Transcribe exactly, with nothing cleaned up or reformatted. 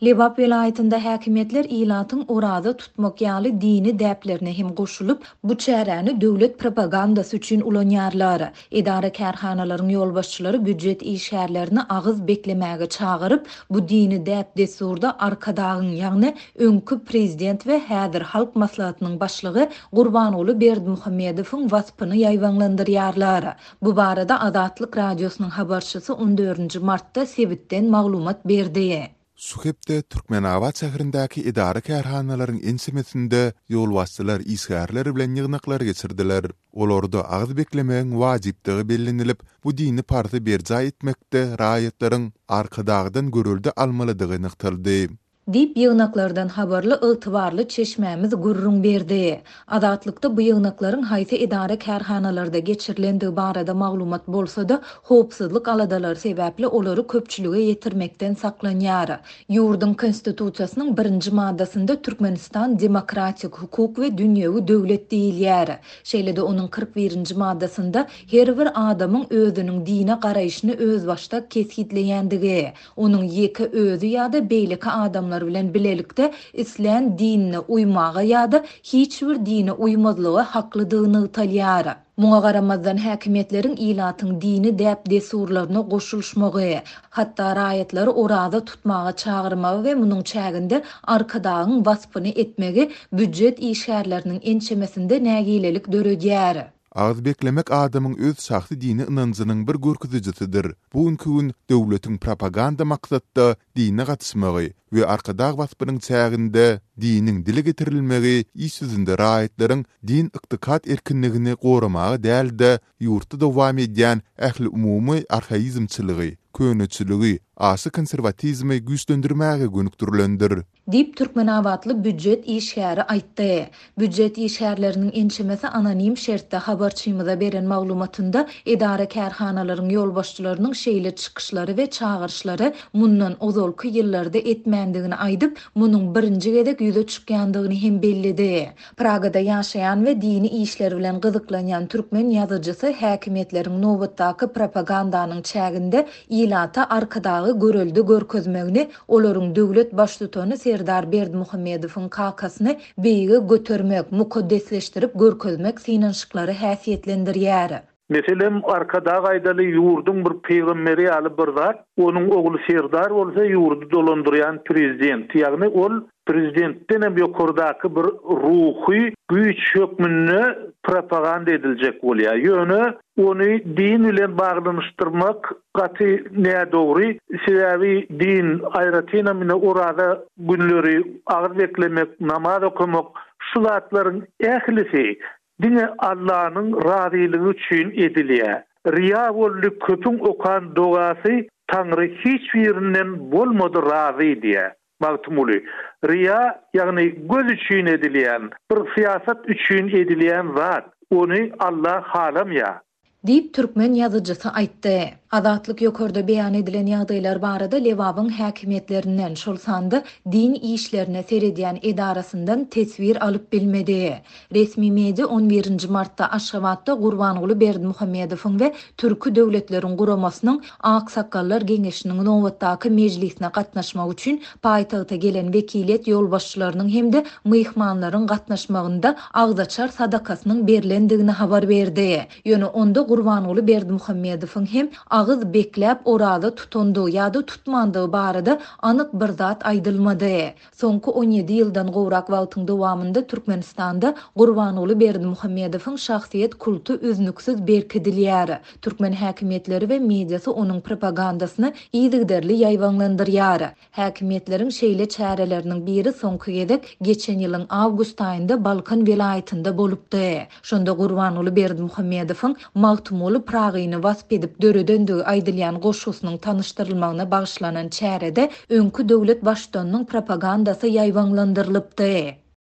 Lebap welaýatynda häkimiýetler ilatyň oraza tutmak ýaly dini däplerine hem goşulyp, bu çäräni döwlet propagandasy üçin ulanýarlar. Edara-kärhanalaryň ýolbaşçylary býujet işgärlerini agyz beklemäge çagyryp, bu dini däp-dessurda Arkadagyň, ýagny öňki prezident we häzir Halk Maslahatynyň başlygy Gurbanguly Berdimuhamedowyň waspyny ýaýbaňlandyrýarlar. Bu barada Azatlyk Radiosynyň habarçysy on dördünji martda sebitden maglumat berdi. Şu hepde Türkmenabat şäherindäki edara-kärhanalaryň ençemesinde ýolbaşçylar işgärler bilen ýygnaklar geçirdiler. Olarda agyz beklemegiň wajypdygy bellenilip, bu dini parzy berjaý etmekde raýatlaryň Arkadagdan görelde almalydygy nygtaldy. Diýip, ýygnaklardan habarly ygtybarly çeşmämiz gürrüň berdi. Azatlykda bu ýygnaklaryň haýsy edara-kärhanalarda geçirilendigi barada maglumat bolsa-da, howpsuzlyk aladalary sebäpli olary köpçülige ýetirmekden saklanýar. Ýurduň konstitusiýasynyň birinji maddasynda Türkmenistan demokratik, hukuk we dünýewi döwlet diýilýär. Şeýle-de onuň kyrk birinji maddasynda her bir adamyň özüniň dine garaýşyny özbaşdak kesgitleýändigi, onuň ýeke özi ýa-da beýleki adamlar bilen bilelikde islän dinine uýmaga ýa-da hiç bir dine uýmazlyga haklydygy nygtalýar. Muňa garamazdan häkimiýetleriň ilatyň dini däp-dessurlaryna goşulyşmagy, hatda raýatlary oraza tutmaga çagyrmagy we munuň çäginde Arkadagyň waspyny etmegi býujet işgärleriniň ençemesinde nägilelik döredýär. Agyz beklemek adamyň öz şahsy dini ynanjynyň bir görkezijisidir. Bu günki gün döwletiň propaganda maksatda dine gatyşmagy we Arkadag waspynyň çäginde diniň dile getirilmegi iş ýüzünde raýatlaryň din ykdykat erkinligini goramaga däl-de ýurtda dowam edýän ähli umumy arhaizmçiligi, köneçiligi, aşa konserwatizmi güýçlendirmäge gönükdirilendir. Diýip, Türkmenabatly býujet işgäri aýtdy. Býujet işgärleriniň ençemesi anonim şertde habarçymyza beren maglumatynda edara-kärhanalaryň ýolbaşçylarynyň şeýle çykyşlary we çagyryşlary mundan ozalky ýyllarda etmändigini aýdyp, munuň birinji gezek ýüze çykýandygyny hem belledi. Pragada ýaşaýan we dini işler bilen gyzyklanýan türkmen ýazyjysy häkimiýetleriň nobatdaky propagandanyň çäginde ilata Arkadagy görelde görkezmegini, olaryň döwlet baştutany Serdar Berdimuhamedowyň kakasyny beýige götermek, mukaddesleşdirip görkezmek synanyşyklary häsiýetlendirýär. Meselem, Arkadag aýdaly ýurduň bir peýgamberi ýaly bir zat, onuň ogly Serdar bolsa ýurdy dolandyrýan prezident, ýagny ol prezidentden hem ýokardaky bir ruhy güýç hökmünde propaganda ediljek bolýar. Ýöne ony din bilen baglanyşdyrmak gaty nädogry, sebäbi din aýratynam ine oraza günleri agyz beklemek, namaz okamak, şu zatlaryň ählisi diňe Allah'yň razylygy üçin edilýär. Riya boldy köpüň okan dogasy, Taňry hiç birinden bolmady razy diýär. Magtymguly. Riya, ýagny göz üçin edilýän, bir syýasat üçin edilýän zat, ony Allah halamýar. Diýip, türkmen ýazyjysy aýtdy. Azatlyk ýokarda beýan edilen ýagdaýlar barada Lebabyň häkimiýetlerinden, şol sanda din işlerine seredýän edarasyndan teswir alyp bilmedi. Resmi media on birinji martda Aşgabatda Gurbanguly Berdimuhamedowyň we Türki döwletleriň guramasynyň Aksakgallar geňeşiniň nobatdaky mejlisine gatnaşmak üçin paýtagta gelen wekiliýet ýolbaşçylarynyň hem-de myhmanlaryň gatnaşmagynda agzaçar sadakasynyň berlendigini habar berdi. Ýöne onda Gurbanguly Berdimuhamedowyň hem agyz bekläp oraza tutandygy ýa-da tutmandygy barada anyk bir zat aýdylmady. Soňky on ýedi ýyldan gowrak wagtyň dowamynda Türkmenistanda Gurbanguly Berdimuhamedowyň şahsyýet kulty üznüksiz berkidilýär. Türkmen häkimiýetleri we mediasy onuň propagandasyny yzygiderli ýaýbaňlandyrýar. Häkimiýetleriň şeýle çäreleriniň biri soňky gezek geçen ýylyň awgust aýynda Balkan welaýatynda bolupdy. Şonda Gurbanguly Berdimuhamedowyň Magtymguly Pragyny wasp edip döredendigi aýdylýan goşgusynyň tanyşdyrylmagyna bagyşlanan çärede öňki döwlet baştutanynyň propagandasy ýaýbaňlandyrylypdy.